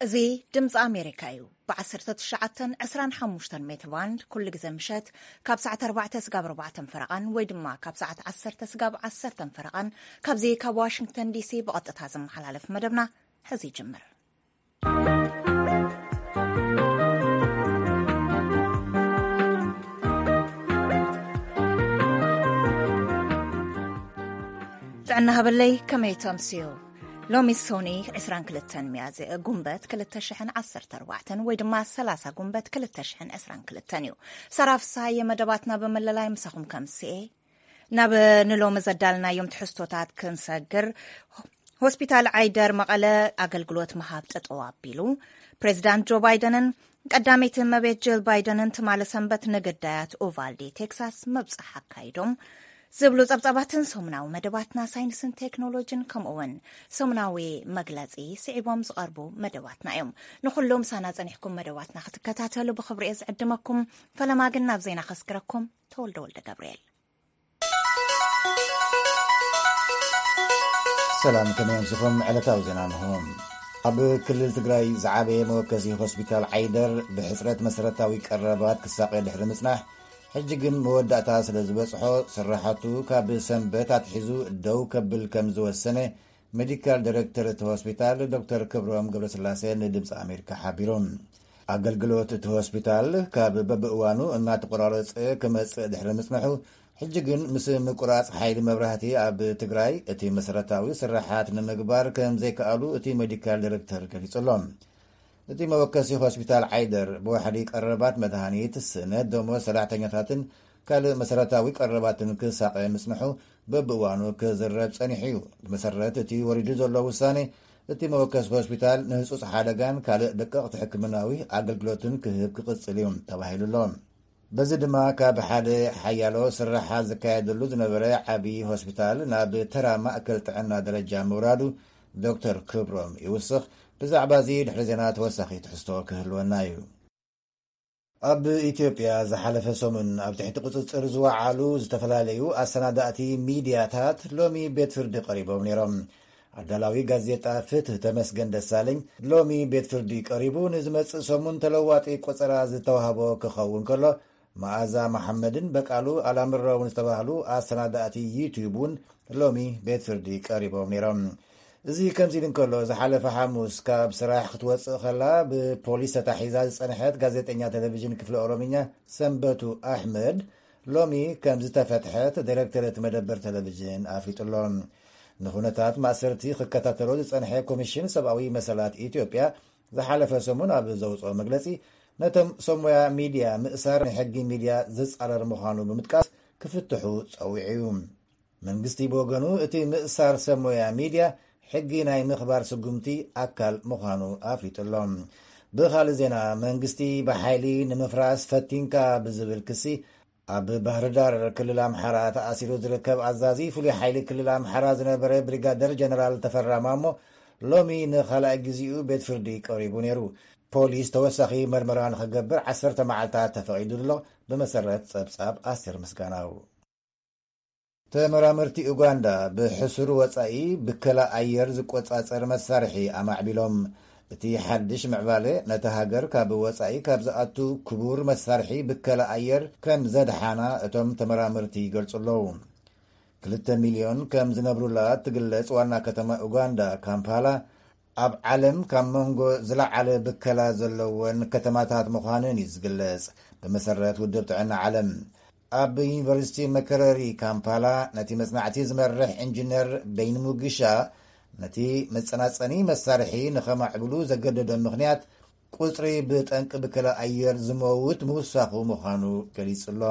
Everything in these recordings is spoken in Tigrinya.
እዚ ድምፂ ኣሜሪካ እዩ። ብ19፣ 25 ሜትር ባንድ ኩሉ ግዜ ምሸት ካብ ሰዓት ኣርባዕተ ስጋብ ኣርባዕተ ፈረቓን ወይ ድማ ካብ ሰዓት ዓሰርተ ስጋብ ዓሰርተ ፈረቓን ካብዚ ካብ ዋሽንግተን ዲሲ ብቐጥታ ዝመሓላለፍ መደብና ሕዚ ይጅምር። ጥዕና ሃበለይ፣ ከመይ ተምስዩ? ሎሚ ሶኒ 22 ሚያዝያ ጉንበት 2014 ወይ ድማ 30 ጉንበት 2022 እዩ። ሰራፍሳየ መደባትና ብምልላይ ምሳኹም ከምስኤ ናብ ንሎሚ ዘዳልናዮም ትሕዝቶታት ክንሰግር፣ ሆስፒታል ዓይደር መቐለ ኣገልግሎት ምሃብ ጠጠው ኣቢሉ፣ ፕሬዚዳንት ጆ ባይደንን ቀዳመይቲ እመቤት ጅል ባይደንን ትማሊ ሰንበት ንግዳያት ኡቫልዲ ቴክሳስ መብፅሕ ኣካይዶም ዝብሉ ጸብጻባትን ሰሙናዊ መደባትና ሳይንስን ቴክኖሎጂን ከምኡ እውን ሰሙናዊ መግለጺ ስዒቦም ዝቐርቡ መደባትና እዮም። ንኹሉ ምሳና ጸኒሕኩም መደባትና ክትከታተሉ ብኽብሪ እየ ዝዕድመኩም። ፈለማ ግን ናብ ዜና ከስግረኩም። ተወልደ ወልደ ገብርኤል። ሰላም፣ ከመይ ኣምሲኹም? ዕለታዊ ዜና እንሆ። ኣብ ክልል ትግራይ ዝዓበየ መወከሲ ሆስፒታል ዓይደር ብሕፅረት መሰረታዊ ቀረባት ክሳቐ ድሕሪ ምፅናሕ፣ ሕጂ ግን መወዳእታ ስለ ዝበፅሖ፣ ስራሓቱ ካብ ሰንበት ኣትሒዙ ደው ከብል ከም ዝወሰነ ሜዲካል ዳይሬክተር እቲ ሆስፒታል ዶክተር ክብሮም ገብረስላሴ ንድምፂ ኣሜሪካ ሓቢሩ። ኣገልግሎት እቲ ሆስፒታል ካብ በብእዋኑ እናተቆራረፀ ክመፅእ ድሕሪ ምፅንሑ፣ ሕጂ ግን ምስ ምቁራፅ ሓይሊ መብራህቲ ኣብ ትግራይ እቲ መሰረታዊ ስራሓት ንምግባር ከም ዘይከኣሉ እቲ ሜዲካል ዳይሬክተር ገሊጹ ኣሎ። እቲ መወከሲ ሆስፒታል ዓይደር ብዋሕዲ ቀረባት መድሃኒት፣ ስእነት ደሞዝ ሰራሕተኛታትን ካልእ መሰረታዊ ቀረባትን ክሳቐ ምጽንሑ በብእዋኑ ክዝረብ ጸኒሑ እዩ። ብመሰረት እቲ ወሪዱ ዘሎ ውሳኔ፣ እቲ መወከሲ ሆስፒታል ንህጹጽ ሓደጋን ካልእ ደቀቕቲ ሕክምናዊ ኣገልግሎትን ክህብ ክቕጽል እዩ ተባሂሉ ኣሎ። በዚ ድማ ካብ ሓደ ሓያሎ ስራሓት ዝካየደሉ ዝነበረ ዓቢ ሆስፒታል ናብ ተራ ማእከል ጥዕና ደረጃ ምውራዱ ዶክተር ክብሮም ይውስኽ። ብዛዕባ እዚ ድሕሪ ዜና ተወሳኺ ትሕዝቶ ክህልወና እዩ። ኣብ ኢትዮጵያ ዝሓለፈ ሰሙን ኣብ ትሕቲ ቁጽጽር ዝወዓሉ ዝተፈላለዩ ኣሰናዳእቲ ሚድያታት ሎሚ ቤት ፍርዲ ቀሪቦም ነይሮም። ኣዳላዊ ጋዜጣ ፍትህ ተመስገን ደሳለኝ ሎሚ ቤት ፍርዲ ቀሪቡ ንዝመጽእ ሰሙን ተለዋጢ ቆጸራ ዝተዋህቦ ክኸውን ከሎ፣ መኣዛ መሓመድን በቃሉ ኣላምረውን ዝተባህሉ ኣሰናዳእቲ ዩቲዩብ እውን ሎሚ ቤት ፍርዲ ቀሪቦም ነይሮም። እዚ ከምዚ ኢሉ እንከሎ፣ ዝሓለፈ ሓሙስ ካብ ስራሕ ክትወፅእ ከላ ብፖሊስ ተታሒዛ ዝፀንሐት ጋዜጠኛ ቴሌቪዥን ክፍለ ኦሮምኛ ሰንበቱ ኣሕመድ ሎሚ ከም ዝተፈትሐት ዳይሬክተር እቲ መደበር ቴሌቪዥን ኣፍሊጡ ኣሎ። ንኩነታት ማእሰርቲ ክከታተሎ ዝፀንሐ ኮሚሽን ሰብኣዊ መሰላት ኢትዮጵያ ዝሓለፈ ሰሙን ኣብ ዘውፅኦ መግለፂ፣ ነቶም ሰብ ሞያ ሚድያ ምእሳር ንሕጊ ሚድያ ዝፃረር ምዃኑ ብምጥቃስ ክፍትሑ ፀዊዑ እዩ። መንግስቲ ብወገኑ፣ እቲ ምእሳር ሰብ ሞያ ሚድያ ሕጊ ናይ ምኽባር ስጉምቲ ኣካል ምዃኑ ኣፍሊጡ ኣሎ። ብኻልእ ዜና፣ መንግስቲ ብሓይሊ ንምፍራስ ፈቲንካ ብዝብል ክሲ ኣብ ባህርዳር ክልል ኣምሓራ ተኣሲሩ ዝርከብ ኣዛዚ ፍሉይ ሓይሊ ክልል ኣምሓራ ዝነበረ ብሪጋደር ጀነራል ተፈራ ማሞ ሎሚ ንኻልኣይ ግዜኡ ቤት ፍርዲ ቀሪቡ ነይሩ። ፖሊስ ተወሳኺ መርመራ ንኽገብር ዓሰርተ መዓልታት ተፈቒዱ ኣሎ፣ ብመሰረት ጸብጻብ ኣስቴር ምስጋናው። ተመራመርቲ ኡጋንዳ ብሕሱር ወጻኢ ብከላ ኣየር ዝቆጻጸር መሳርሒ ኣማዕቢሎም። እቲ ሓድሽ ምዕባለ ነታ ሃገር ካብ ወጻኢ ካብ ዝኣቱ ክቡር መሳርሒ ብከላ ኣየር ከም ዘድሓና እቶም ተመራመርቲ ይገልጹ ኣለዉ። ክልተ ሚልዮን ከም ዝነብሩላ እትግለጽ ዋና ከተማ ኡጋንዳ ካምፓላ፣ ኣብ ዓለም ካብ መንጎ ዝለዓለ ብከላ ዘለወን ከተማታት ምዃነን እዩ ዝግለጽ። ብመሰረት ውድብ ጥዕና ዓለም፣ ኣብ ዩኒቨርሲቲ መከረሪ ካምፓላ ነቲ መጽናዕቲ ዝመርሕ ኢንጂነር በይንሙግሻ፣ ነቲ መጸናጸኒ መሳርሒ ንኸማዕብሉ ዘገደዶም ምኽንያት ቁጽሪ ብጠንቂ ብከላ ኣየር ዝመውት ምውሳኹ ምዃኑ ገሊጹ ኣሎ።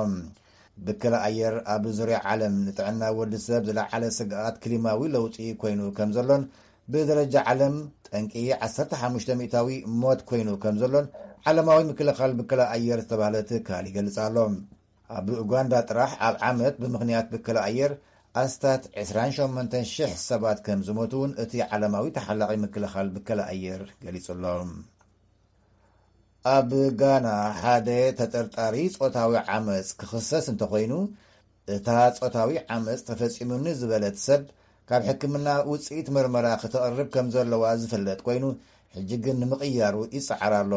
ብከላ ኣየር ኣብ ዙርያ ዓለም ንጥዕና ወዲ ሰብ ዝለዓለ ስግኣት ክሊማዊ ለውጢ ኮይኑ ከም ዘሎን፣ ብደረጃ ዓለም ጠንቂ 15 ሚእታዊ ሞት ኮይኑ ከም ዘሎን ዓለማዊ ምክልኻል ብከላ ኣየር ዝተባህለ ትካል ይገልጽ ኣሎ። ኣብ ኡጋንዳ ጥራሕ ኣብ ዓመት ብምኽንያት ብከላ ኣየር ኣስታት 28,000 ሰባት ከም ዝሞቱ እውን እቲ ዓለማዊ ተሓላቒ ምክልኻል ብከላ ኣየር ገሊጹ ኣሎ። ኣብ ጋና ሓደ ተጠርጣሪ ጾታዊ ዓመጽ ክኽሰስ እንተኾይኑ፣ እታ ጾታዊ ዓመጽ ተፈጺሙኒ ዝበለት ሰብ ካብ ሕክምና ውጽኢት መርመራ ክተቕርብ ከም ዘለዋ ዝፍለጥ ኮይኑ፣ ሕጂ ግን ንምቕያሩ ይጸዓር ኣሎ።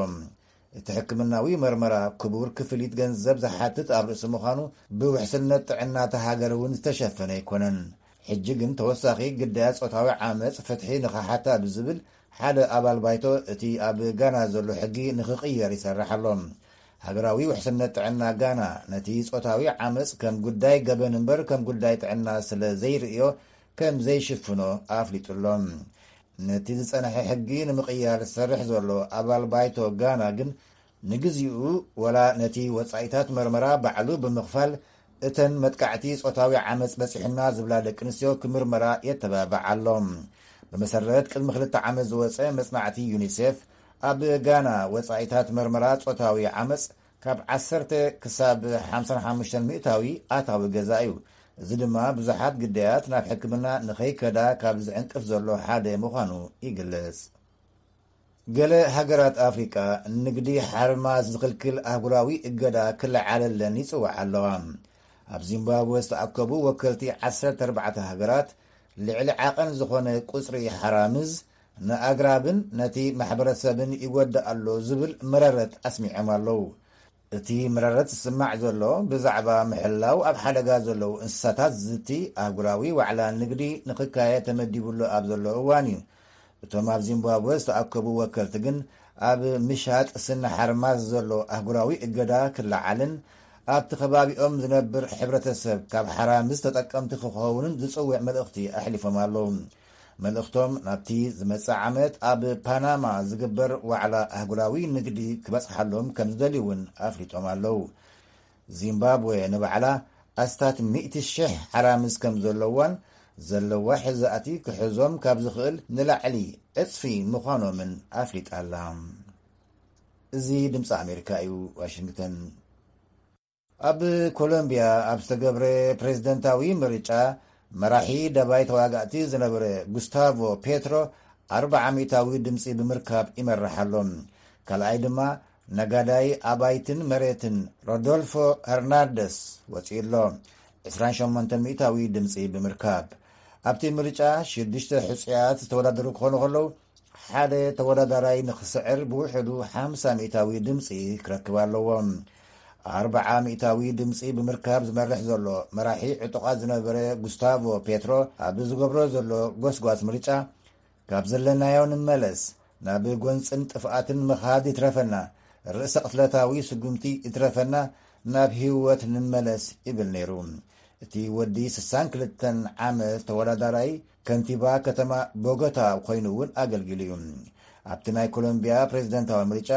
እቲ ሕክምናዊ መርመራ ክቡር ክፍሊት ገንዘብ ዝሓትት ኣብ ርእሲ ምዃኑ፣ ብውሕስነት ጥዕና እታ ሃገር እውን ዝተሸፈነ ኣይኮነን። ሕጂ ግን ተወሳኺ ግዳያት ጾታዊ ዓመጽ ፍትሒ ንኽሓታ ብዝብል ሓደ ኣባል ባይቶ እቲ ኣብ ጋና ዘሎ ሕጊ ንኽቕየር ይሰርሕ ኣሎ። ሃገራዊ ውሕስነት ጥዕና ጋና ነቲ ጾታዊ ዓመጽ ከም ጉዳይ ገበን እምበር ከም ጉዳይ ጥዕና ስለ ዘይርእዮ ከም ዘይሽፍኖ ኣፍሊጡ ኣሎ። ነቲ ዝጸንሐ ሕጊ ንምቕያር ዝሰርሕ ዘሎ ኣባል ባይቶ ጋና ግን ንግዚኡ ወላ ነቲ ወጻኢታት መርመራ ባዕሉ ብምኽፋል እተን መጥቃዕቲ ጾታዊ ዓመጽ በጺሑና ዝብላ ደቂ ኣንስትዮ ክምርመራ የተባብዕ ኣሎ። ብመሰረት ቅድሚ ክልተ ዓመት ዝወጸ መጽናዕቲ ዩኒሴፍ ኣብ ጋና ወጻኢታት መርመራ ጾታዊ ዓመጽ ካብ ዓሰርተ ክሳብ ሓምሳ ሓሙሽተ ሚእታዊ ኣታዊ ገዛ እዩ። እዚ ድማ ብዙሓት ግዳያት ናብ ሕክምና ንኸይከዳ ካብ ዝዕንቅፍ ዘሎ ሓደ ምዃኑ ይግለጽ። ገለ ሃገራት ኣፍሪቃ ንግዲ ሓርማዝ ዝኽልክል ኣህጉራዊ እገዳ ክለዓለለን ይጽውዓ ኣለዋ። ኣብ ዚምባብወ ዝተኣከቡ ወከልቲ ዓሰርተ ኣርባዕተ ሃገራት ልዕሊ ዓቐን ዝኾነ ቁጽሪ ሓራምዝ ንኣግራብን ነቲ ማሕበረሰብን ይጎድእ ኣሎ ዝብል መረረት ኣስሚዖም ኣለዉ። እቲ መረረት ዝስማዕ ዘሎ ብዛዕባ ምሕላው ኣብ ሓደጋ ዘለዉ እንስሳታት ዝዝቲ ኣህጉራዊ ዋዕላ ንግዲ ንኽካየድ ተመዲቡሉ ኣብ ዘሎ እዋን እዩ። እቶም ኣብ ዚምባብወ ዝተኣከቡ ወከልቲ ግን ኣብ ምሻጥ ስነ ሓርማዝ ዘሎ ኣህጉራዊ እገዳ ክለዓልን ኣብቲ ከባቢኦም ዝነብር ሕብረተሰብ ካብ ሓራምዝ ተጠቀምቲ ክኸውንን ዝጽውዕ መልእኽቲ ኣሕሊፎም ኣለዉ። መልእኽቶም ናብቲ ዝመጽእ ዓመት ኣብ ፓናማ ዝግበር ዋዕላ ኣህጉራዊ ንግዲ ክበጽሓሎም ከም ዝደልዩ እውን ኣፍሊጦም ኣለዉ። ዚምባብወ ንባዕላ ኣስታት ሚእቲ ሽሕ ሓራምዝ ከም ዘለዋን ዘለዋ ሕዛእቲ ክሕዞም ካብ ዝኽእል ንላዕሊ ዕጽፊ ምዃኖምን ኣፍሊጣ ኣላ። እዚ ድምፂ ኣሜሪካ እዩ፣ ዋሽንግተን። ኣብ ኮሎምቢያ ኣብ ዝተገብረ ፕሬዝደንታዊ ምርጫ መራሒ ደባይ ተዋጋእቲ ዝነበረ ጉስታቮ ፔትሮ ኣርብዓ ሚእታዊ ድምፂ ብምርካብ ይመርሕ ኣሎ። ካልኣይ ድማ ነጋዳይ ኣባይትን መሬትን ሮዶልፎ ሄርናንደስ ወፂኡ ኣሎ፣ ዕስራን ሸሞንተን ሚእታዊ ድምፂ ብምርካብ። ኣብቲ ምርጫ ሽዱሽተ ሕፁያት ዝተወዳደሩ ክኾኑ ከለዉ፣ ሓደ ተወዳዳራይ ንኽስዕር ብውሕዱ ሓምሳ ሚእታዊ ድምፂ ክረክብ ኣለዎ። ኣርብዓ ሚእታዊ ድምፂ ብምርካብ ዝመርሕ ዘሎ መራሒ ዕጡቓት ዝነበረ ጉስታቮ ፔትሮ ኣብ ዝገብሮ ዘሎ ጎስጓስ ምርጫ፣ ካብ ዘለናዮ ንመለስ፣ ናብ ጎንፅን ጥፍኣትን ምኻድ ይትረፈና፣ ርእሰ ቅትለታዊ ስጉምቲ ይትረፈና፣ ናብ ህይወት ንመለስ ይብል ነይሩ። እቲ ወዲ ስሳን ክልተን ዓመት ተወዳዳራይ ከንቲባ ከተማ ቦጎታ ኮይኑ እውን ኣገልጊሉ እዩ። ኣብቲ ናይ ኮሎምቢያ ፕሬዝደንታዊ ምርጫ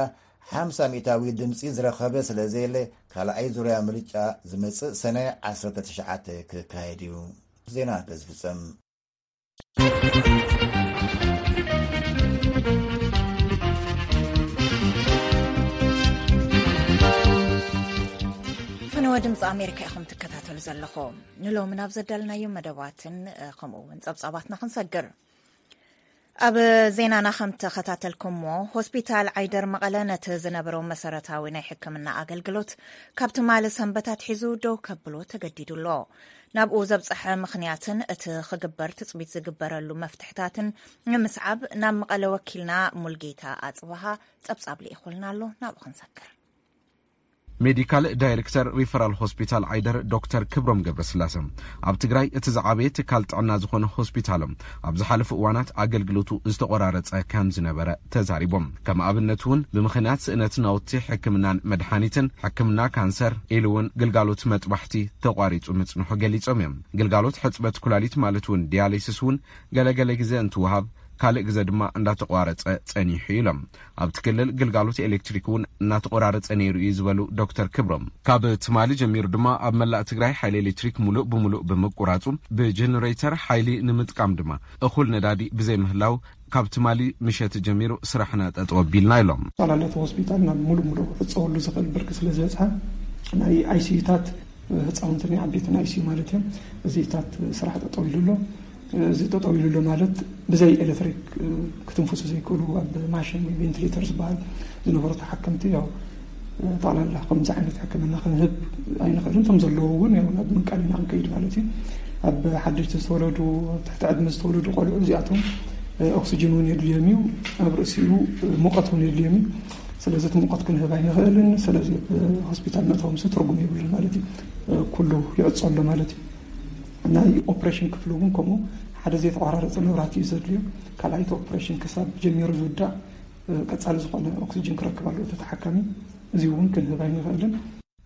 ሓምሳ ሚእታዊ ድምፂ ዝረኸበ ስለ ዘየለ፣ ካልኣይ ዙርያ ምርጫ ዝመፅእ ሰነ ዓሰርተ ትሽዓተ ክካየድ እዩ። ዜና በዚ ፍጸም። ፈነወ ድምፂ ኣሜሪካ ኢኹም ትከታተሉ ዘለኹም። ንሎሚ ናብ ዘዳልናዮም መደባትን፣ እ፣ ከምኡ እውን ጸብጻባትና ክንሰግር። ኣብ ዜናና ከም ተኸታተልኩሞ፣ ሆስፒታል ዓይደር መቐለ ነቲ ዝነበሮ መሰረታዊ ናይ ሕክምና ኣገልግሎት ካብ ትማሊ ሰንበት ኣትሒዙ ደው ከብሎ ተገዲዱ ኣሎ። ናብኡ ዘብጽሐ ምኽንያትን እቲ ክግበር ትጽቢት ዝግበረሉ መፍትሕታትን ንምስዓብ ናብ መቐለ ወኪልና ሙልጌታ ኣጽብሃ ጸብጻብ ልኢኹልና ኣሎ። ናብኡ ክንሰግር። ሜዲካል ዳይሬክተር ሪፈራል ሆስፒታል ዓይደር ዶክተር ክብሮም ገብረስላሰ፣ ኣብ ትግራይ እቲ ዝዓበየ ትካል ጥዕና ዝኾነ ሆስፒታሎም ኣብ ዝሓለፉ እዋናት ኣገልግሎቱ ዝተቆራረጸ ከም ዝነበረ ተዛሪቦም። ከም ኣብነት እውን ብምኽንያት ስእነት ናውቲ ሕክምናን መድሓኒትን፣ ሕክምና ካንሰር ኢሉ እውን ግልጋሎት መጥባሕቲ ተቋሪጹ ምጽንሑ ገሊጾም እዮም። ግልጋሎት ሕጽበት ኩላሊት ማለት እውን ዲያሊሲስ እውን ገለገለ ግዜ እንትወሃብ፣ ካልእ ግዜ ድማ እንዳተቋረጸ ጸኒሑ ኢሎም። ኣብቲ ክልል ግልጋሎት ኤሌክትሪክ እውን እናተቆራረጸ ነይሩ እዩ ዝበሉ ዶክተር ክብሮም፣ ካብ ትማሊ ጀሚሩ ድማ ኣብ መላእ ትግራይ ሓይሊ ኤሌክትሪክ ሙሉእ ብሙሉእ ብምቁራጹ፣ ብጀነሬተር ሓይሊ ንምጥቃም ድማ እኹል ነዳዲ ብዘይምህላው፣ ካብ ትማሊ ምሸት ጀሚሩ ስራሕና ጠጠው ኣቢልና ኢሎም። ጠቕላላ እቲ ሆስፒታል ናብ ሙሉእ ሙሉእ ክዕጸወሉ ዝኽእል ብርኪ ስለ ዝበጽሐ፣ ናይ ኣይሲዩታት ህፃውንቲ ናይ ዓበይቲ ናይ ኣይሲዩ ማለት እዮም። እዚታት ስራሕ ጠጠው ኢሉ ኣሎ። እዚ ጠጠው ኢሉ ኣሎ ማለት ብዘይ ኤሌክትሪክ ክትንፍሱ ዘይክእሉ ኣብ ማሽን ወይ ቬንቲሌተር ዝበሃል ዝነበሩ ተሓከምቲ ያው ጠቕላላ ከምዚ ዓይነት ሕክምና ክንህብ ኣይንኽእልን። እቶም ዘለዉ እውን ያው ናብ ምንቃል ኢና ክንከይድ ማለት እዩ። ኣብ ሓደሽቲ ዝተወለዱ፣ ኣብ ትሕቲ ዕድመ ዝተወለዱ ቆልዑ እዚኣቶም ኦክሲጅን እውን የድልዮም እዩ። ኣብ ርእሲኡ ሙቐት እውን የድልዮም እዩ። ስለዚ እቲ ሙቐት ክንህብ ኣይንኽእልን። ስለዚ ሆስፒታል መእተዎም ስ ትርጉም የብሉን ማለት እዩ። ኩሉ ይዕጾ ኣሎ ማለት እዩ። ናይ ኦፕሬሽን ክፍሉ እውን ከምኡ ሓደ ዘይተቋራረፀ መብራህቲ እዩ ዘድልዮ። ካልኣይቲ ኦፕሬሽን ክሳብ ጀሚሩ ዝውዳእ ቀፃሊ ዝኾነ ኦክሲጅን ክረክብ ኣለዎ እቲ ተሓካሚ። እዚ እውን ክንህብ ኣይንኽእልን።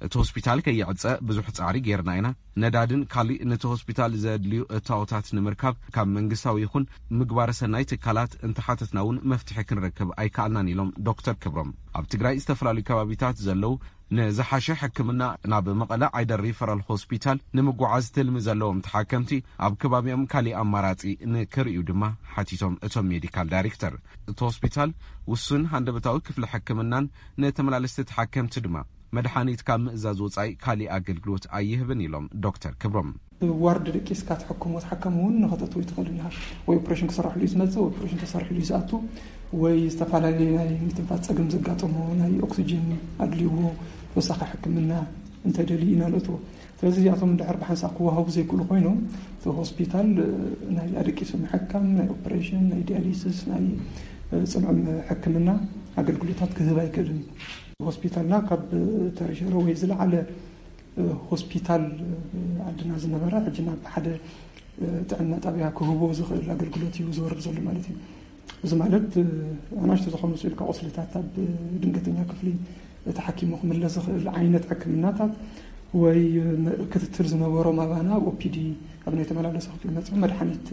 እቲ ሆስፒታል ከይዕጸ ብዙሕ ጻዕሪ ጌርና ኢና። ነዳድን ካልእ ነቲ ሆስፒታል ዘድልዩ እታወታት ንምርካብ ካብ መንግስታዊ ይኹን ምግባረ ሰናይ ትካላት እንተሓተትና እውን መፍትሒ ክንረክብ ኣይከኣልናን ኢሎም ዶክተር ክብሮም። ኣብ ትግራይ ዝተፈላለዩ ከባቢታት ዘለዉ ንዝሓሸ ሕክምና ናብ መቐለ ዓይደር ሪፈራል ሆስፒታል ንምጉዓዝ ትልሚ ዘለዎም ተሓከምቲ ኣብ ከባቢኦም ካሊእ ኣማራጺ ንክርእዩ ድማ ሓቲቶም እቶም ሜዲካል ዳይሬክተር። እቲ ሆስፒታል ውሱን ሃንደበታዊ ክፍሊ ሕክምናን ንተመላለስቲ ተሓከምቲ ድማ መድሓኒት ካብ ምእዛዝ ወፃኢ ካሊእ ኣገልግሎት ኣይህብን ኢሎም ዶክተር ክብሮም። ዋርድ ደቂስካ ትሕክሞ ተሓካሚ እውን ንኸተእትዎ ኣይትኽእልን ኢኻ። ወይ ኦፕሬሽን ክስረሐሉ እዩ ዝመፅእ፣ ወይ ኦፕሬሽን ተሰሪሕሉ እዩ ዝኣቱ፣ ወይ ዝተፈላለዩ ናይ ምትንፋስ ፀገም ዘጋጠሞ ናይ ኦክሲጅን ኣድልይዎ ተወሳኺ ሕክምና እንተደልዩ ኢና ንእትዎ። ስለዚ እዚኣቶም እንድሕር ብሓንሳእ ክወሃቡ ዘይክእሉ ኮይኖም እቲ ሆስፒታል ናይ ኣደቂሱ ምሕካም፣ ናይ ኦፕሬሽን፣ ናይ ዲያሊሲስ፣ ናይ ፅንዑም ሕክምና ኣገልግሎታት ክህብ ኣይክእልን እዩ። ሆስፒታልና ካብ ተሪሸሪ ወይ ዝለዓለ ሆስፒታል ዓድና ዝነበረ ሕጂ ናብ ሓደ ጥዕና ጣብያ ክህቦ ዝኽእል ኣገልግሎት እዩ ዝወርድ ዘሎ ማለት እዩ። እዚ ማለት ኣናሽቱ ዝኾኑ ስኢልካ ቁስልታት ኣብ ድንገተኛ ክፍሊ ተሓኪሙ ክምለስ ዝኽእል ዓይነት ሕክምናታት ወይ ክትትል ዝነበሮም ኣባና ኣብ ኦፒዲ ኣብ ናይ ተመላለሰ ክፍሊ መፅኦም መድሓኒት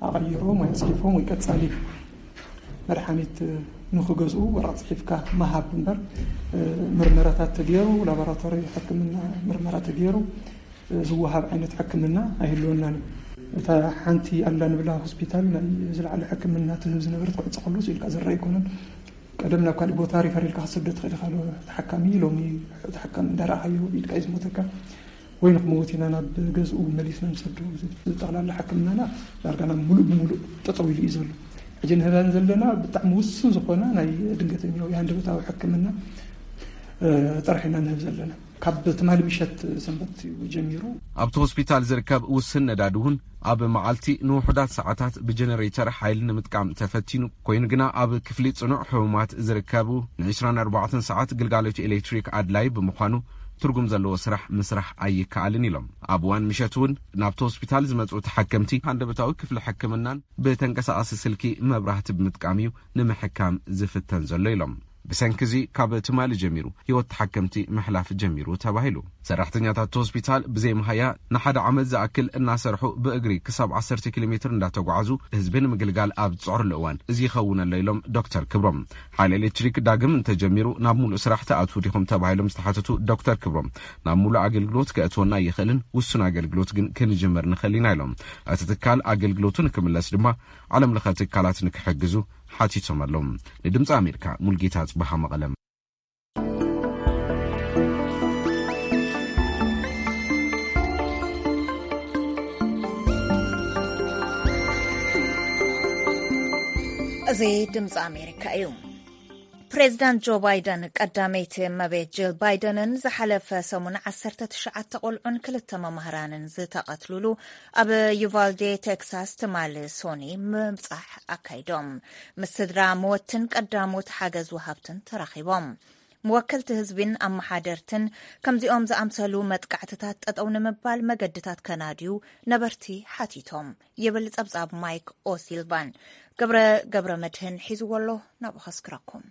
ኣቐይሮም ወይ ኣፅሒፎም ወይ ቀፃሊ መድሓኒት ንክገዝኡ ወረቕ ፅሒፍካ ምሃብ እምበር ምርመራታት ተገይሩ ላቦራቶሪ ሕክምና ምርመራ ተገይሩ ዝወሃብ ዓይነት ሕክምና ኣይህልወናን እዩ። እታ ሓንቲ ኣላ ንብላ ሆስፒታል ናይ ዝለዓለ ሕክምና ትህብ ዝነበረት ክዕፀ ከሎ ስኢልካ ዝረአ ኣይኮነን። ቀደም ናብ ካሊእ ቦታ ሪፈር ኢልካ ክትሰዶ ትኽእል ኢኻ። ተሓካሚ ሎሚ ተሓካሚ እንዳረኣኻዮ ኢድካ እዩ ዝሞተካ ወይ ንክመውት ኢና ናብ ገዝኡ መሊስና ንሰዶ። ጠቕላላ ሕክምናና ዳርጋ ናብ ሙሉእ ብሙሉእ ጠጠው ኢሉ እዩ ዘሎ። ሕጂ ንህበን ዘለና ብጣዕሚ ውሱን ዝኾነ ናይ ድንገተኛ ወይ ሃንደበታዊ ሕክምና ጥራሕ ኢና ንህብ ዘለና። ካብ ትማሊ ምሸት ሰንበት እዩ ጀሚሩ። ኣብቲ ሆስፒታል ዝርከብ ውስን ነዳዲ እውን ኣብ መዓልቲ ንውሑዳት ሰዓታት ብጀነሬተር ሓይሊ ንምጥቃም ተፈቲኑ ኮይኑ ግና ኣብ ክፍሊ ፅኑዕ ሕሙማት ዝርከቡ ን24 ሰዓት ግልጋሎት ኤሌክትሪክ ኣድላይ ብምዃኑ ትርጉም ዘለዎ ስራሕ ምስራሕ ኣይከኣልን ኢሎም። ኣብ እዋን ምሸት እውን ናብቲ ሆስፒታል ዝመፁ ተሓከምቲ ሃንደበታዊ ክፍሊ ሕክምናን ብተንቀሳቓሲ ስልኪ መብራህቲ ብምጥቃም እዩ ንምሕካም ዝፍተን ዘሎ ኢሎም። ብሰንኪ እዚ ካብ ትማሊ ጀሚሩ ህይወት ተሓከምቲ ምሕላፍ ጀሚሩ ተባሂሉ። ሰራሕተኛታት እቲ ሆስፒታል ብዘይ መሃያ ንሓደ ዓመት ዝኣክል እናሰርሑ ብእግሪ ክሳብ 10 ኪሎ ሜትር እንዳተጓዓዙ ህዝቢ ንምግልጋል ኣብ ዝፅዕርሉ እዋን እዚ ይኸውን ኣሎ ኢሎም ዶክተር ክብሮም። ሓይሊ ኤሌክትሪክ ዳግም እንተጀሚሩ ናብ ሙሉእ ስራሕ ትኣትዉ ዲኹም ተባሂሎም ዝተሓተቱ ዶክተር ክብሮም ናብ ሙሉእ ኣገልግሎት ከእትወና ይኽእልን ውሱን ኣገልግሎት ግን ክንጅምር ንኽእል ኢና ኢሎም። እቲ ትካል ኣገልግሎቱ ንክምለስ ድማ ዓለም ለኸ ትካላት ንክሕግዙ ሓቲቶም ኣለዉ። ንድምፂ ኣሜሪካ ሙልጌታ ጽባሃ መቐለም። እዚ ድምፂ ኣሜሪካ እዩ። ፕሬዚዳንት ጆ ባይደን ቀዳመይቲ እመቤት ጂል ባይደንን ዝሓለፈ ሰሙን ዓሰርተ ትሽዓተ ቆልዑን ክልተ መማህራንን ዝተቐትሉሉ ኣብ ዩቫልዴ ቴክሳስ ትማሊ ሶኒ ምብጻሕ ኣካይዶም። ምስ ስድራ መወትን ቀዳሞት ሓገዝ ወሃብትን ተራኺቦም። መወከልቲ ህዝቢን ኣመሓደርትን ከምዚኦም ዝኣምሰሉ መጥቃዕትታት ጠጠው ንምባል መገድታት ከናድዩ ነበርቲ ሓቲቶም ይብል ጸብጻብ ማይክ ኦሲልቫን። ገብረ ገብረ መድህን ሒዝዎ ኣሎ፣ ናብኡ ከስክረኩም።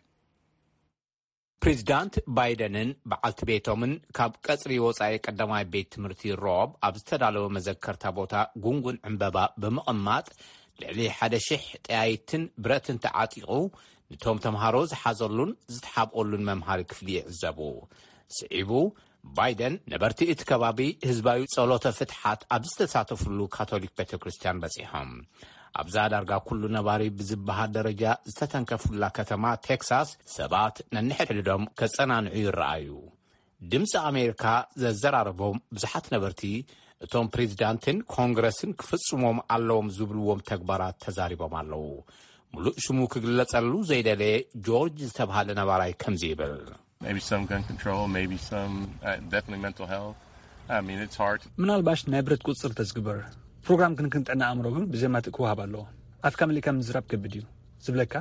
ፕሬዚዳንት ባይደንን በዓልቲ ቤቶምን ካብ ቀጽሪ ወጻኢ ቀዳማይ ቤት ትምህርቲ ሮብ ኣብ ዝተዳለወ መዘከርታ ቦታ ጉንጉን ዕምበባ ብምቕማጥ ልዕሊ ሓደ ሽሕ ጠያይትን ብረትን ተዓጢቑ ንቶም ተምሃሮ ዝሓዘሉን ዝተሓብኦሉን መምሃሪ ክፍሊ ይዕዘቡ። ስዒቡ ባይደን ነበርቲ እቲ ከባቢ ህዝባዊ ጸሎተ ፍትሓት ኣብ ዝተሳተፍሉ ካቶሊክ ቤተ ክርስቲያን በጺሖም። ኣብዛ ዳርጋ ኩሉ ነባሪ ብዝበሃል ደረጃ ዝተተንከፉላ ከተማ ቴክሳስ ሰባት ነንሕድሕዶም ከጸናንዑ ይረኣዩ። ድምፂ ኣሜሪካ ዘዘራረቦም ብዙሓት ነበርቲ እቶም ፕሬዚዳንትን ኮንግረስን ክፍጽሞም ኣለዎም ዝብልዎም ተግባራት ተዛሪቦም ኣለዉ። ሙሉእ ሽሙ ክግለጸሉ ዘይደለየ ጆርጅ ዝተባሃለ ነባራይ ከምዚ ይብል። Maybe some gun control, maybe some uh, definitely mental health. I mean, it's hard. ምናልባሽ ናይ ብረት ቁፅፅር ተዝግበር ፕሮግራም ክንክን ጥዕና ኣእምሮ ግን ብዘማትእ ክወሃብ ኣለዎ። ኣፍካ መሊእካ ምዝራብ ከቢድ እዩ ዝብለካ፣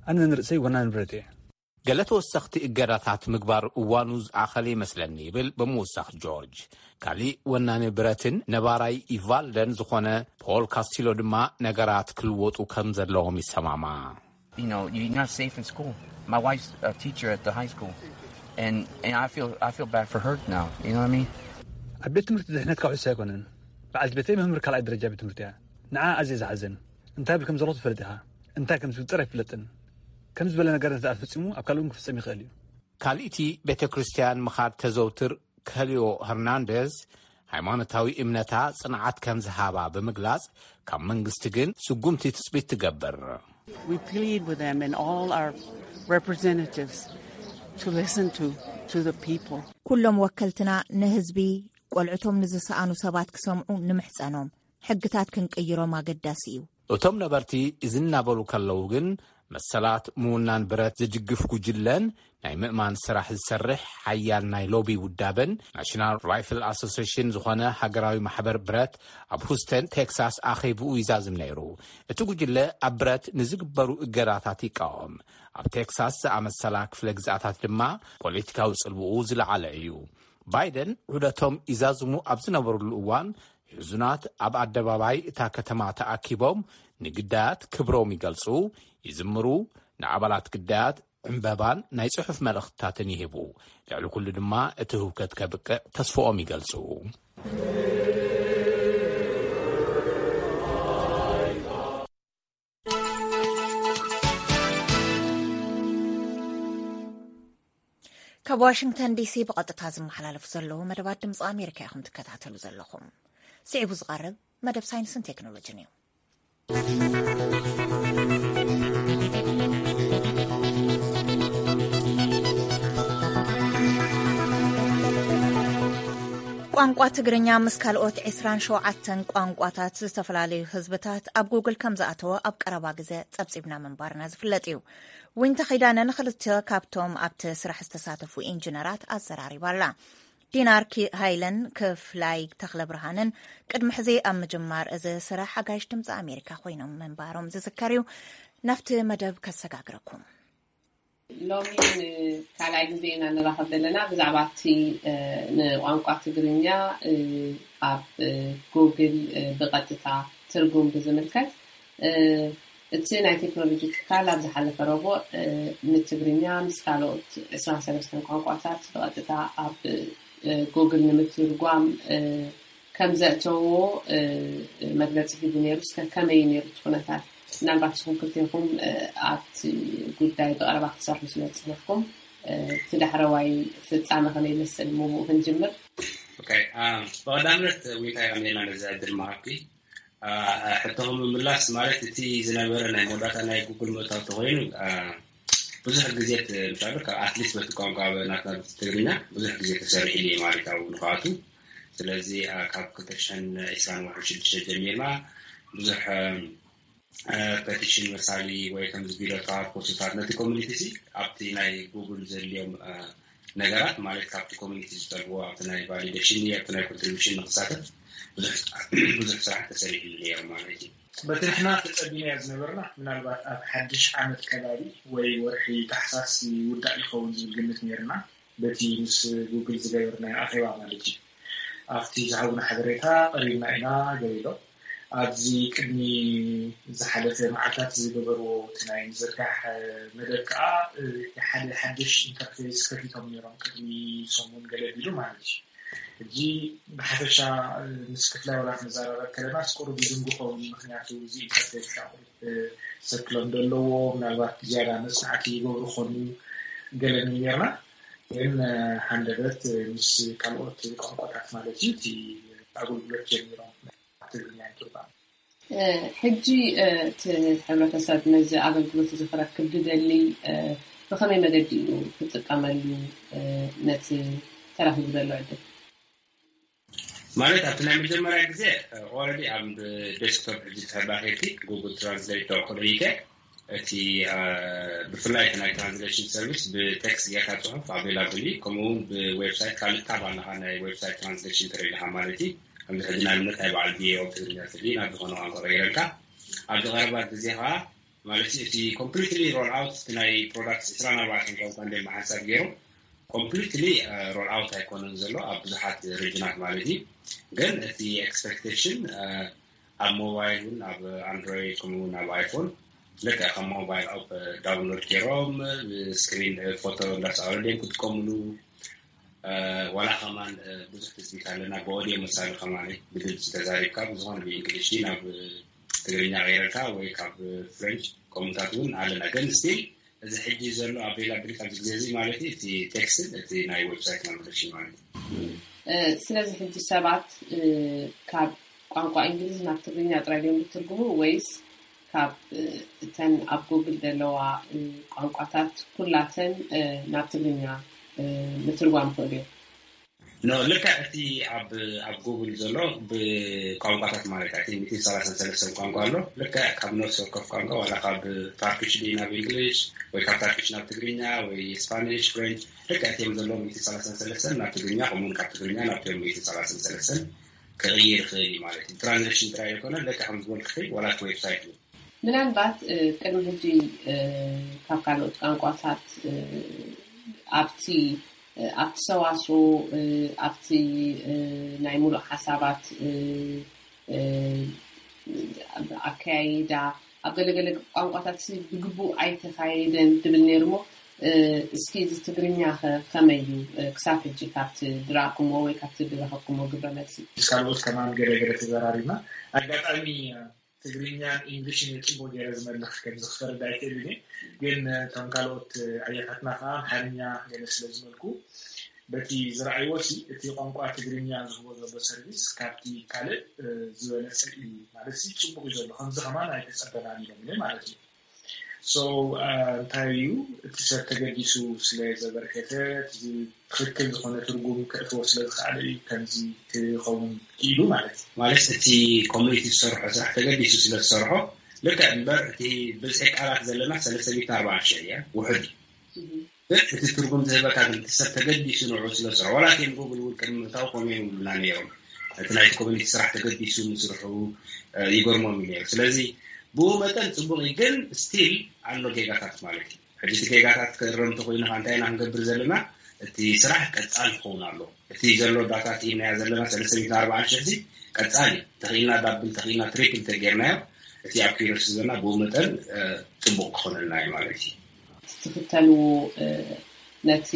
ኣነ ንርእሰይ ወናኒ ንብረት እየ። ገለ ተወሰኽቲ እገዳታት ምግባር እዋኑ ዝኣኸለ ይመስለኒ፣ ይብል ብምውሳኽ ጆርጅ። ካሊእ ወናኒ ብረትን ነባራይ ኢቫልደን ዝኾነ ፖል ካስቲሎ ድማ ነገራት ክልወጡ ከም ዘለዎም ይሰማማዕ። You know, you're not safe in school. My wife's a teacher at the high school, and and I feel I feel bad for her now. You know what I mean? ኣብ ቤት ትምህርቲ ድሕነትካ ውሑስ ኣይኮነን። በዓልቲ ቤተይ መምህር ካልኣይ ደረጃ ቤት ትምህርቲ እያ። ንዓ ኣዝየ ዝሓዝን። እንታይ ብል ከም ዘለኹ ትፈልጥ ኢኻ። እንታይ ከም ዝፍጠር ኣይፍለጥን። ከም ዝበለ ነገር እንተ ፈጺሙ ኣብ ካልእ እውን ክፍጸም ይኽእል እዩ። ካልእቲ ቤተ ክርስቲያን ምኻድ ተዘውትር ከሊዮ ሄርናንደዝ ሃይማኖታዊ እምነታ ጽንዓት ከም ዝሃባ ብምግላጽ ካብ መንግስቲ ግን ስጉምቲ ትጽቢት ትገብር። We plead with them and all our representatives to listen to to the people. ኩሎም ወከልትና ንህዝቢ ቆልዕቶም ንዝሰኣኑ ሰባት ክሰምዑ ንምሕጸኖም። ሕግታት ክንቅይሮም ኣገዳሲ እዩ። እቶም ነበርቲ እዚ እናበሉ ከለዉ ግን መሰላት ምውናን ብረት ዝድግፍ ጉጅለን ናይ ምእማን ስራሕ ዝሰርሕ ሓያል ናይ ሎቢ ውዳበን ናሽናል ራይፍል ኣሶሲሽን ዝኾነ ሃገራዊ ማሕበር ብረት ኣብ ሁስተን ቴክሳስ ኣኼብኡ ይዛዝም ነይሩ። እቲ ጉጅለ ኣብ ብረት ንዝግበሩ እገዳታት ይቃወም። ኣብ ቴክሳስ ዝኣመሰላ ክፍለ ግዝኣታት ድማ ፖለቲካዊ ጽልውኡ ዝለዓለ እዩ። ባይደን ዑደቶም ይዛዝሙ ኣብ ዝነበሩሉ እዋን ሕዙናት ኣብ ኣደባባይ እታ ከተማ ተኣኪቦም ንግዳያት ክብሮም ይገልጹ፣ ይዝምሩ፣ ንኣባላት ግዳያት ዕምበባን ናይ ጽሑፍ መልእኽትታትን ይህቡ። ልዕሊ ኩሉ ድማ እቲ ህውከት ከብቅዕ ተስፍኦም ይገልጹ። ካብ ዋሽንግተን ዲሲ ብቐጥታ ዝመሓላለፉ ዘለዉ መደባት ድምፂ ኣሜሪካ ኢኹም ትከታተሉ ዘለኹም። ስዒቡ ዝቐርብ መደብ ሳይንስን ቴክኖሎጂን እዩ። ቋንቋ ትግርኛ ምስ ካልኦት ዕስራን ሸውዓተን ቋንቋታት ዝተፈላለዩ ህዝብታት ኣብ ጉግል ከም ዝኣተወ ኣብ ቀረባ ግዜ ጸብጺብና ምንባርና ዝፍለጥ እዩ። ዊንታ ኺዳነ ንኽልተ ካብቶም ኣብቲ ስራሕ ዝተሳተፉ ኢንጂነራት ኣዘራሪባ ኣላ። ዲናር ሃይለን ክፍላይ ተኽለ ብርሃንን ቅድሚ ሕዚ ኣብ ምጅማር እዚ ስራሕ ሓጋይሽ ድምፂ ኣሜሪካ ኮይኖም ምንባሮም ዝዝከር እዩ። ናብቲ መደብ ከሰጋግረኩም። ሎሚ ንካልኣይ ግዜ ኢና ንራኸብ ዘለና ብዛዕባ እቲ ንቋንቋ ትግርኛ ኣብ ጉግል ብቐጥታ ትርጉም ብዝምልከት። እቲ ናይ ቴክኖሎጂ ትካል ኣብ ዝሓለፈ ረቡዕ ንትግርኛ ምስ ካልኦት ዕስራን ሰለስተን ቋንቋታት ብቐጥታ ኣብ ጉግል ንምትርጓም ከም ዘእተዎ መግለፂ ሂቡ ነይሩ። እስከ ከመይ ነይሩ እቲ ኩነታት? ምናልባት ንስኹም ክልቴኹም ኣብቲ ጉዳይ ብቐረባ ክትሰርሑ ስለ ዝፀናሕኩም እቲ ዳሕረዋይ ፍፃመ ከመይ ይመስል ምብኡ ክንጅምር። ብቐዳምነት ዊንታ የቐንየልና ነዚ ዕድል ምሃብኪ። ሕቶኹም ምምላስ ማለት እቲ ዝነበረ ናይ መወዳእታ ናይ ጉግል ምእታው ተኮይኑ ብዙሕ ግዜ ምሻሉ ካብ ኣትሊስት በቲ ቋንቋ ናትና ትግርኛ ብዙሕ ግዜ ተሰሪሕሉ እዩ ማለት ኣብኡ ንክኣቱ። ስለዚ ካብ ክልተ ሽሕን ዕስራን ወርሒ ሽዱሽተ ጀሚርና ብዙሕ ፐቲሽን መሳሊ ወይ ከምዚ ቢሎታት ኮርሱታት ነቲ ኮሚኒቲ ሲ ኣብቲ ናይ ጉግል ዘድልዮም ነገራት ማለት ካብቲ ኮሚኒቲ ዝጠልብዎ ኣብቲ ናይ ቫሊዴሽን ኣብቲ ናይ ኮንትሪቢሽን ንክሳተፍ ብዙሕ ስራሕ ተሰሪሕሉ ነይሩ ማለት እዩ። በቲ ንሕና ተጸቢናዮ ዝነበርና ምናልባት ኣብ ሓድሽ ዓመት ከባቢ ወይ ወርሒ ታሕሳስ ይውዳእ ይኸውን ዝብል ግምት ነይርና። በቲ ምስ ጉግል ዝገበርናዮ ኣኼባ ማለት እዩ። ኣብቲ ዝሃቡና ሓበሬታ ቀሪብና ኢና ገሊሎም ኣብዚ ቅድሚ ዝሓለፈ መዓልታት ዝገበርዎ እቲ ናይ ምዝርጋሕ መደብ ከዓ ሓደ ሓድሽ ኢንተርፌስ ከፊቶም ነይሮም ቅድሚ ሰሙን ገለ ቢሉ ማለት እዩ። ሕጂ ብሓፈሻ ምስ ክፍላይ ወላ ክንዘራረብ ከለና ቁሩብ ይድንጉ ኸውን ምክንያቱ እዚ ኢንተርፌስ ሻቁሪት ሰክሎም ደለዎ ምናልባት ዝያዳ መፅናዕቲ ይገብሩ ኾኑ ገለን ኔርና ግን ሃንደበት ምስ ካልኦት ቋንቋታት ማለት እዩ እቲ ኣገልግሎት ጀሚሮም ትግርኛ ይትርጓም። ሕጂ እቲ ሕብረተሰብ ነዚ ኣገልግሎት እዚ ክረክብ ዝደሊ ብኸመይ መገዲ እዩ ክጥቀመሉ ነቲ ተረኺቡ ዘሎ ዕድል? ማለት ኣብቲ ናይ መጀመርያ ግዜ ኦረዲ ኣብ ዴስክቶፕ ሕጂ ተባሂልቲ ጉግል ትራንስሌት ተወክሎ ኢከ እቲ ብፍላይ እቲ ናይ ትራንስሌሽን ሰርቪስ ብቴክስት ጌርካ ፅሑፍ ኣቬላብል እዩ። ከምኡ እውን ብዌብሳይት ካልእ ታብ ኣለካ ናይ ዌብሳይት ትራንስሌሽን ትርኢ ኣለካ ማለት እዩ። ከምዚ ሕጂ ንኣብነት ናይ በዓል ቪኦኤ ትግርኛ ትሊ ናብ ዝኾነ ቋንቋ ቀይረልካ ኣብዚ ቀረባ ግዜ ከዓ ማለት እቲ completely roll out ናይ product ዕስራን ኣርባዕተን ቋንቋ እንደ ሓንሳብ ገይሮም completely roll out ኣይኮነን ዘሎ ኣብ ብዙሓት region ት ማለት እዩ። ግን እቲ expectation ኣብ mobile እውን ኣብ Android ከምኡ እውን ኣብ iPhone ልክዕ ከም mobile app download ገይሮም screen photo እንዳሰኣሉ ድዮም ክጥቀምሉ ዋላ ከማን ብዙሕ ትፅቢት ኣለና ብኦድዮ መሳሊ ከማን ብድምፂ ተዛሪብካ ብዝኾነ ብእንግሊሽ ናብ ትግርኛ ቀይረልካ ወይ ካብ French ከምኡታት እውን ኣለና ግን still እዚ ሕጂ ዘሎ availability ኣብዚ ግዜ እዚ ማለት እዩ እቲ text ን እቲ ናይ website ን ማለት እዩ። ስለዚ ሕጂ ሰባት ካብ ቋንቋ እንግሊዝ ናብ ትግርኛ ጥራይ ድዮም ዝትርጉሙ ወይስ ካብ እተን ኣብ ጉግል ዘለዋ ቋንቋታት ኩላተን ናብ ትግርኛ ምትርጓም ክእሉ እዮም? No ልክዕ እቲ ኣብ ኣብ ጉግል ዘሎ ብቋንቋታት ማለት እቲ ሚእትን ሰላሳን ሰለስተን ቋንቋ ኣሎ። ልክዕ ካብ ነፍሲ ወከፍ ቋንቋ ዋላ ካብ ታርኪሽ ድዩ ናብ እንግሊሽ ወይ ካብ ታርኪሽ ናብ ትግርኛ ወይ ስፓኒሽ ፍሬንች ልክዕ እቲኦም ዘለዉ ሚእትን ሰላሳን ሰለስተን ናብ ትግርኛ ከምኡውን ካብ ትግርኛ ናብቶም ሚእትን ሰላሳን ሰለስተን ክቕይር ይኽእል እዩ ማለት እዩ። ትራንዛክሽን ጥራይ ኣይኮነን ልክዕ ከም ዝበልክኺ ዋላ እቲ ዌብሳይት እውን ምናልባት ቅድሚ ሕጂ ካብ ካልኦት ቋንቋታት ኣብቲ ኣብቲ ሰዋስው ኣብቲ ናይ ሙሉእ ሓሳባት ኣካያይዳ ኣብ ገለገለ ቋንቋታት ብግቡእ ኣይተኻየደን ትብል ነይሩ እሞ እስኪ እዚ ትግርኛ ከ ከመይ እዩ ክሳብ ሕጂ ካብቲ ድራእኩሞ ወይ ካብቲ ድረኸብኩሞ ግብረ መልሲ ምስ ካልኦት ከማን ገለገለ ተዘራሪብና ኣጋጣሚ ትግርኛን ኢንግሊሽን እየ ፅቡቅ ገይረ ዝመልኽ ከምዚ ክፈርድ ኣይክእልን እየ ግን ከም ካልኦት ኣያታትና ከዓ ኣምሓርኛ ገለ ስለ ዝመልኩ በቲ ዝረኣይዎ ሲ እቲ ቋንቋ ትግርኛ ዝህቦ ዘሎ ሰርቪስ ካብቲ ካልእ ዝበለፀ እዩ ማለት ሲ ፅቡቅ እዩ ዘሎ ከምዚ ከማን ኣይተፀበናን ኢሎም ማለት እዩ so እንታይ እዩ እቲ ሰብ ተገዲሱ ስለ ዘበርከተ ትኽክል ዝኾነ ትርጉም ከእትዎ ስለ ዝኸኣለ እዩ ከምዚ ክኸውን ክኢሉ ማለት እዩ። ማለት እቲ community ዝሰርሖ ስራሕ ተገዲሱ ስለ ዝሰርሖ ልክዕ እምበር እቲ ብዝሒ ቃላት ዘለና ሰለስተ ሚእትን ኣርባዓን ሽሕ እያ ውሑድ እዩ። ግን እቲ ትርጉም ዝህበካ ግን እቲ ሰብ ተገዲሱ ንዑ ስለ ዝሰርሖ ዋላ እቲ ጉግል እውን ቅድሚ ምእታው ከምኡ ይብሉና ነይሮም። እቲ ናይቲ community ስራሕ ተገዲሱ ምስርሑ ይገርሞም እዩ ነይሩ። ስለዚ ብኡ መጠን ፅቡቅ እዩ ግን still ኣሎ ጌጋታት ማለት እዩ። ሕጂ እቲ ጌጋታት ክእረም እንተኮይኑ ከዓ እንታይ ኢና ክንገብር ዘለና? እቲ ስራሕ ቀፃሊ ክኸውን ኣለዎ። እቲ ዘሎ data ርኢናዮ ዘለና ሰለስተ ሚእትን ኣርባዓን ሽሕ እዚ ቀፃሊ ተኽኢልና double ተኽኢልና triple ተጌርናዮ እቲ ኣብ ኪሮስ ዘለና ብኡ መጠን ፅቡቅ ክኾነልና እዩ ማለት እዩ። ትኽተልዎ ነቲ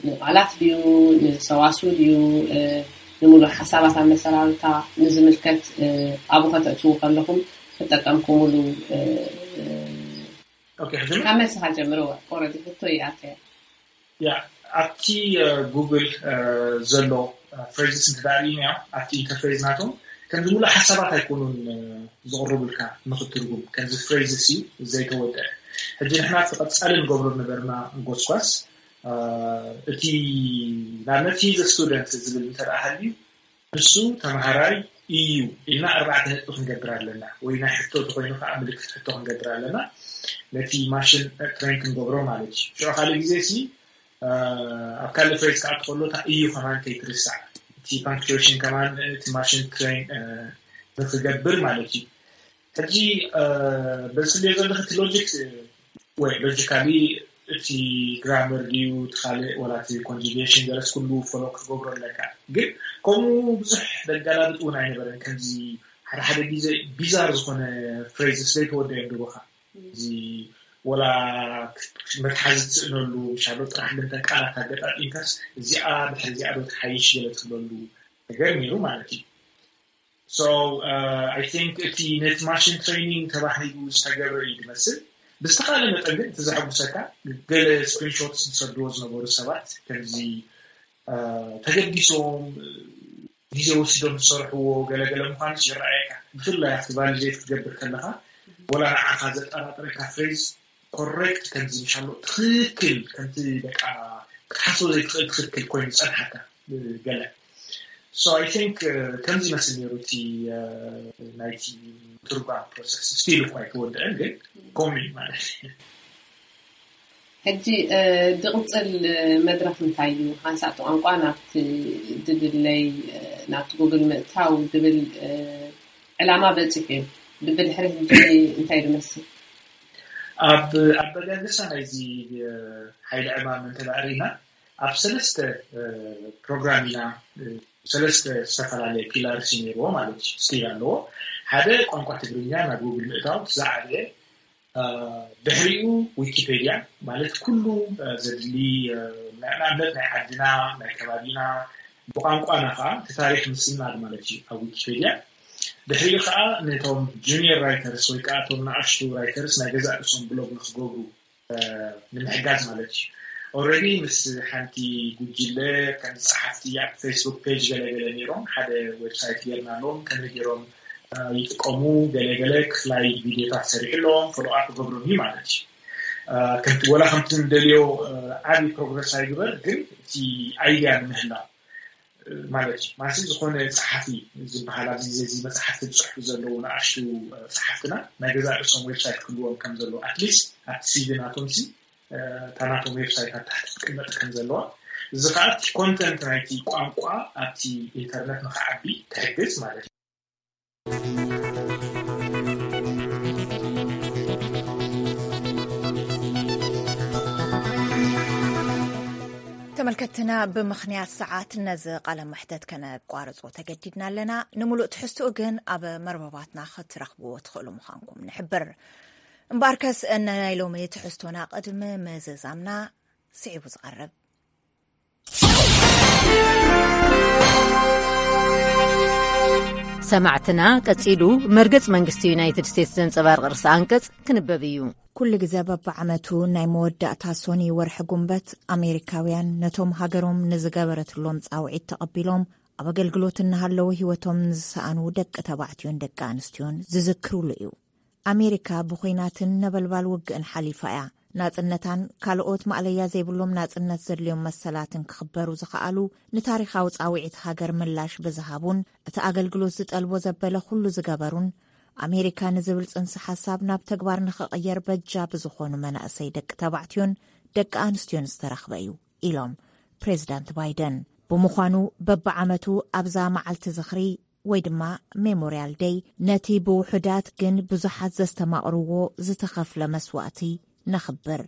ንቃላት ድዩ ንሰዋስው ድዩ ንምሉእ ሓሳባት ኣመሰራርታ ንዝምልከት ኣብኡ ከተእትዉ ከለኹም ክጠቀምኩምሉ ካብ መልስኻ ጀምርዎ already ሕቶ ይኣትያ ያ ኣብቲ ጉግል ዘሎ phrases እንተዳርኢናዮ ኣብቲ interface ናቶም ከምዚ ሙሉእ ሓሳባት ኣይኮኑን ዝቕርቡልካ ንኽትርጉም ከምዚ phrases እዩ ዘይተወደአ ሕጂ ንሕና እቲ ቀፃሊ ንገብሮ ነበርና ጎስጓስ እቲ ንኣብነት he's a student ዝብል እንተደኣ ሃልዩ ንሱ ተምሃራይ እዩ ኢልና ኣርባዕተ ነጥቢ ክንገብር ኣለና ወይ ናይ ሕቶ ተኮይኑ ከዓ ምልክት ሕቶ ክንገብር ኣለና ነቲ ማሽን train ክንገብሮ ማለት እዩ ሽዑ ካልእ ግዜ ሲ ኣብ ካልእ phrase ከዓ ትኸሎ እታ እዩ ከማን ከይትርሳዕ እቲ punctuation ከማን እቲ ማሽን train ንክገብር ማለት እዩ ሕጂ በዚ ትብልዮ ዘለኺ እቲ logic ወይ logically እቲ grammar ድዩ እቲ ካልእ ወላ እቲ conjugation ገለስ ኩሉ follow ክትገብሮ ኣለካ ግን ከምኡ ብዙሕ ዘገላብጥ እውን ኣይነበረን ከምዚ ሓደ ሓደ ግዜ bizarre ዝኾነ phrases ዘይተወደዮም ድቦኻ እዚ ወላ መትሓዚ ትስእነሉ ምሻሎ ጥራሕ ልንተን ቃላት ኣገጣጢምካስ እዚኣ ድሕሪ እዚኣ ዶ ትሓይሽ ገለ ትብለሉ ነገር ነይሩ ማለት እዩ so I think እቲ ነቲ machine training ተባሂሉ ዝተገብረ እዩ ዝመስል ብዝተኻለ መጠን ግን እቲ ዘሐጉሰካ ገለ screenshots ዝሰድዎ ዝነበሩ ሰባት ከምዚ ተገዲሶም ግዜ ወሲዶም ዝሰርሕዎ ገለገለ ምዃኑስ ይረኣየካ ብፍላይ ኣብቲ validate ክትገብር ከለኻ ወላ ንዓኻ ዘጠራጥረካ phrase correct ከምዚ ምሻሎ ትኽክል ከምቲ በቃ ክትሓስቦ ዘይትኽእል ትኽክል ኮይኑ ዝፀንሓካ ገለ so I think ከምዚ ይመስል ነይሩ እቲ ናይቲ ትርጓም process still እኳ ኣይተወደአን ግን ከምኡ እዩ ማለት እዩ ሕጂ ድቕፅል መድረኽ እንታይ እዩ ሓንሳእ ቋንቋ ናብቲ ድልለይ ናብቲ ጉግል ምእታው ዝብል ዕላማ በፂሑ እዩ ብድሕሪ ሕጂ እንታይ ዝመስል? ኣብ ኣበጋግሳ ናይዚ ሓይሊ ዕማም እንተዳእሪና ኣብ ሰለስተ ፕሮግራም ኢና፣ ሰለስተ ዝተፈላለየ ፒላርስ ነይርዎ ማለት እዩ፣ ስቲል ኣለዎ። ሓደ ቋንቋ ትግርኛ ናብ ጉግል ምእታው ዝዓበየ፣ ድሕሪኡ ዊኪፔድያ ማለት ኩሉ ዘድሊ፣ ንኣብነት ናይ ዓድና፣ ናይ ከባቢና፣ ብቋንቋና ከዓ እቲ ታሪክ ምስናድ ማለት እዩ ኣብ ዊኪፔድያ። ድሕሪኡ ከዓ ነቶም ጁኒየር ራይተርስ ወይ ከዓ እቶም ንኣሽቱ ራይተርስ ናይ ገዛእ ርእሶም ብሎግ ንክገብሩ ንምሕጋዝ ማለት እዩ። ኦረዲ ምስ ሓንቲ ጉጅለ ከም ጸሓፍቲ ኣብ ፌስቡክ ፔጅ ገለገለ ነይሮም፣ ሓደ ዌብሳይት ገርናሎም ከመይ ገይሮም ይጥቀሙ፣ ገለገለ ክፍላይ ቪድዮታት ሰሪሕሎም ፎሎ ኣፕ ገብሮም እዩ ማለት እዩ። ከምቲ ወላ ከምቲ ንደልዮ ዓብዪ ፕሮግረስ ኣይግበር፣ ግን እቲ ኣይድያ ንምህላው ማለት እዩ። ማለት ዝኾነ ጸሓፊ ዝበሃል ኣብዚ ዘዚ መጽሓፍቲ ዝጽሕፉ ዘለዉ ንኣሽቱ ጸሓፍትና ናይ ገዛ ርእሶም ዌብሳይት ክህልዎም ከም ዘለዎ ኣትሊስት ኣብቲ ሲቪ ናቶም ሲ እታ ናቶም ዌብሳይት ኣብ ታሕቲ ክትቅመጥ ከም ዘለዋ፣ እዚ ከዓ እቲ ኮንተንት ናይቲ ቋንቋ ኣብቲ ኢንተርነት ንክዓቢ ትሕግዝ ማለት እዩ። ተመልከትና፣ ብምኽንያት ሰዓት ነዚ ቃለ መሕተት ከነቋርጾ ተገዲድና ኣለና። ንምሉእ ትሕዝትኡ ግን ኣብ መርበባትና ክትረኽብዎ ትኽእሉ ምዃንኩም ንሕብር። እምበኣርከስ፣ ናይ ሎሚ ትሕዝቶና ቅድሚ ምዝዛምና ስዒቡ ዝቐርብ። ሰማዕትና፣ ቀጺሉ መርገጽ መንግስቲ ዩናይትድ ስቴትስ ዘንጸባርቕ ርእሰ ኣንቀጽ ክንበብ እዩ። ኩሉ ግዜ በብዓመቱ ናይ መወዳእታ ሶኒ ወርሒ ጉንበት፣ ኣሜሪካውያን ነቶም ሃገሮም ንዝገበረትሎም ጻውዒት ተቐቢሎም ኣብ ኣገልግሎት እናሃለዉ ህይወቶም ንዝሰኣኑ ደቂ ተባዕትዮን ደቂ ኣንስትዮን ዝዝክሩሉ እዩ። ኣሜሪካ ብኹናትን ነበልባል ውግእን ሓሊፋ እያ። ናጽነታን ካልኦት ማእለያ ዘይብሎም ናጽነት ዘድልዮም መሰላትን ክኽበሩ ዝኸኣሉ፣ ንታሪኻዊ ጻውዒት ሃገር ምላሽ ብዝሃቡን እቲ ኣገልግሎት ዝጠልቦ ዘበለ ኩሉ ዝገበሩን፣ ኣሜሪካ ንዝብል ጽንሰ ሓሳብ ናብ ተግባር ንኽቕየር በጃ ብዝኾኑ መናእሰይ ደቂ ተባዕትዮን ደቂ ኣንስትዮን ዝተረኽበ እዩ ኢሎም ፕሬዚዳንት ባይደን። ብምዃኑ በብዓመቱ ኣብዛ መዓልቲ ዝኽሪ ወይ ድማ ሜሞርያል ደይ ነቲ ብውሑዳት ግን ብዙሓት ዘስተማቕርዎ ዝተኸፍለ መስዋእቲ ነኽብር።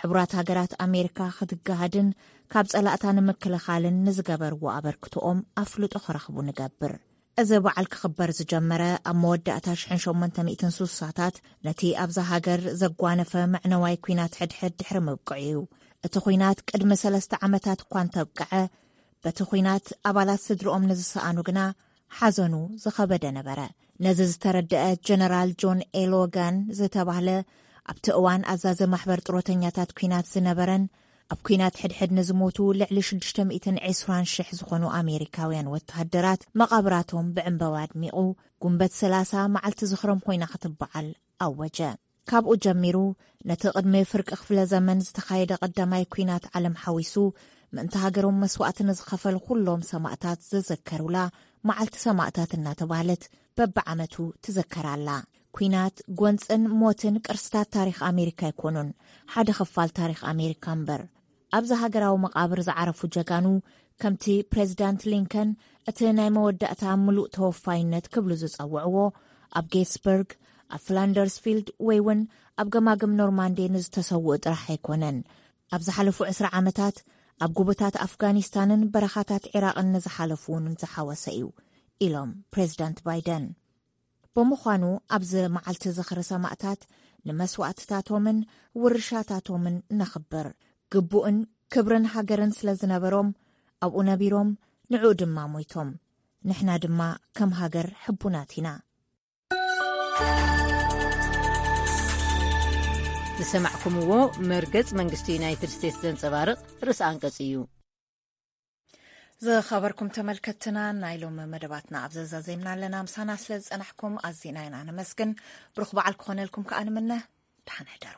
ሕቡራት ሃገራት ኣሜሪካ ክትገሃድን ካብ ጸላእታ ንምክልኻልን ንዝገበርዎ ኣበርክቶኦም ኣፍልጦ ክረኽቡ ንገብር። እዚ በዓል ክኽበር ዝጀመረ ኣብ መወዳእታ ሽሕን ሸሞንተ ሚእትን ስሳታት ነቲ ኣብዛ ሃገር ዘጓነፈ መዕነዋይ ኲናት ሕድሕድ ድሕሪ ምብቅዑ እዩ። እቲ ኲናት ቅድሚ ሰለስተ ዓመታት እኳ እንተብቅዐ፣ በቲ ኲናት ኣባላት ስድርኦም ንዝሰኣኑ ግና ሓዘኑ ዝኸበደ ነበረ። ነዚ ዝተረድአ ጀነራል ጆን ኤ ሎጋን ዝተባህለ ኣብቲ እዋን ኣዛዚ ማሕበር ጥሮተኛታት ኲናት ዝነበረን ኣብ ኲናት ሕድሕድ ንዝሞቱ ልዕሊ ሽዱሽተ ሚእትን ዕስራን ሽሕ ዝኾኑ ኣሜሪካውያን ወተሃደራት መቓብራቶም ብዕምበባ ኣድሚቑ፣ ጉንበት ሰላሳ መዓልቲ ዝኽሮም ኮይና ክትበዓል ኣወጀ። ካብኡ ጀሚሩ ነቲ ቅድሚ ፍርቂ ክፍለ ዘመን ዝተኻየደ ቀዳማይ ኲናት ዓለም ሓዊሱ ምእንቲ ሃገሮም መስዋእቲ ንዝኸፈሉ ኩሎም ሰማእታት ዝዝከሩላ መዓልቲ ሰማእታት እናተባህለት በብዓመቱ ትዝከር ኣላ። ኲናት፣ ጎንጽን ሞትን ቅርስታት ታሪኽ ኣሜሪካ ኣይኮኑን፣ ሓደ ክፋል ታሪኽ ኣሜሪካ እምበር። ኣብዚ ሃገራዊ መቓብር ዝዓረፉ ጀጋኑ ከምቲ ፕሬዚዳንት ሊንከን እቲ ናይ መወዳእታ ምሉእ ተወፋይነት ክብሉ ዝጸውዕዎ ኣብ ጌትስበርግ፣ ኣብ ፍላንደርስፊልድ ወይ እውን ኣብ ገማግም ኖርማንዲ ንዝተሰውኡ ጥራሕ ኣይኮነን። ኣብ ዝሓለፉ ዕስራ ዓመታት ኣብ ጎቦታት ኣፍጋኒስታንን በረኻታት ዒራቕን ንዝሓለፉ እውን ዝሓወሰ እዩ ኢሎም ፕሬዚዳንት ባይደን። ብምዃኑ ኣብዚ መዓልቲ ዝኽሪ ሰማእታት ንመስዋእትታቶምን ውርሻታቶምን ነኽብር። ግቡእን ክብርን ሃገርን ስለ ዝነበሮም ኣብኡ ነቢሮም ንዕኡ ድማ ሞይቶም። ንሕና ድማ ከም ሃገር ሕቡናት ኢና። ዝሰማዕኩምዎ መርገጽ መንግስቲ ዩናይትድ ስቴትስ ዘንጸባርቕ ርእሲ ኣንቀጽ እዩ። ዝኸበርኩም ተመልከትና፣ ናይ ሎሚ መደባትና ኣብ ዘዛዜምና ኣለና። ምሳና ስለ ዝጸናሕኩም ኣዚና ኢና ነመስግን። ብሩኽ በዓል ክኾነልኩም ከኣ ንምነ። ደሓን ሕደሩ።